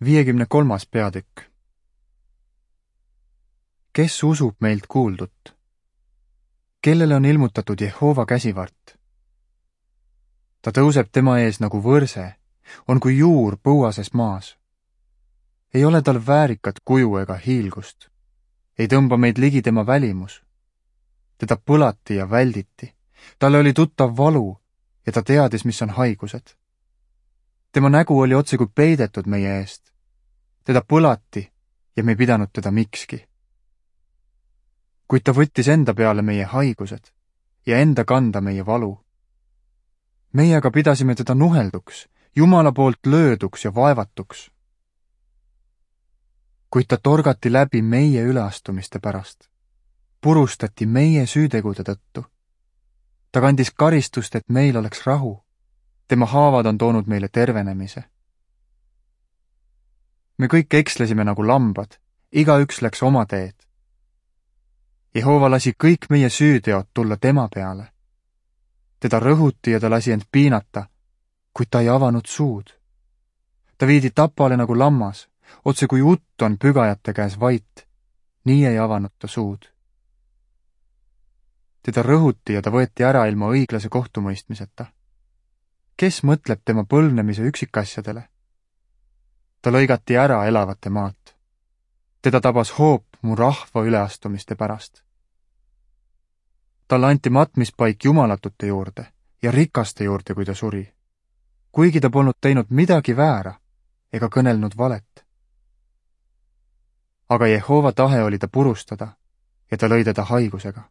53. peatükk. Kes usub meilt kuuldut? Kellele on ilmutatud Jehova käsivart? Ta tõuseb tema ees nagu võrse, on kui juur põuases maas. Ei ole tal väärikat kuju ega hiilgust. Ei tõmba meid ligi tema välimus. Teda põlati ja välditi. Talle oli tuttav valu ja ta teadis, mis on haigused. Tema nägu oli otse kui peidetud meie eest. Teda põlati ja me ei pidanud teda mikski. Kuid ta võttis enda peale meie haigused ja enda kanda meie valu. Meie aga pidasime teda nuhelduks, Jumala poolt lööduks ja vaevatuks. Kuid ta torgati läbi meie üleastumiste pärast. Purustati meie süütegude tõttu. Ta kandis karistust, et meil oleks rahu. Tema haavad on toonud meile tervenemise. Me kõik ekslesime nagu lambad, igaüks läks oma teed. Jehova lasi kõik meie süüteod tulla tema peale. Teda rõhuti ja ta lasi end piinata, kuid ta ei avanud suud. Ta viidi tapale nagu lammas, otse kui utt on pügajate käes vait, nii ei avanud ta suud. Teda rõhuti ja ta võeti ära ilma õiglase kohtumõistmiseta. Kes mõtleb tema põlvnemise üksikasjadele? Ta lõigati ära elavate maalt. Teda tabas hoop mu rahva üleastumiste pärast. Talle anti matmispaik jumalatute juurde ja rikaste juurde, kui ta suri, kuigi ta polnud teinud midagi väära ega kõnelnud valet. Aga Jehova tahe oli ta purustada ja ta lõi teda haigusega.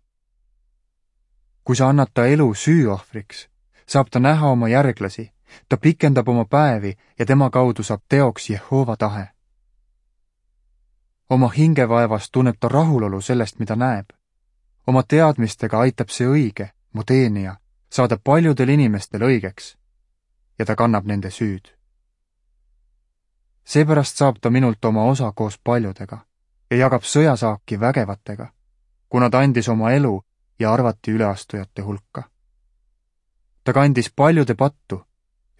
Kui sa annad ta elu süüohvriks, saab ta näha oma järglasi, ta pikendab oma päevi ja tema kaudu saab teoks Jehova tahe. Oma hingevaevast tunneb ta rahulolu sellest, mida näeb. Oma teadmistega aitab see õige, mu teenija, saada paljudel inimestel õigeks ja ta kannab nende süüd. Seepärast saab ta minult oma osa koos paljudega ja jagab sõjasaaki vägevatega, kuna ta andis oma elu ja arvati üleastujate hulka. Ta kandis paljude pattu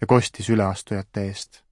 ja kostis üleastujate eest.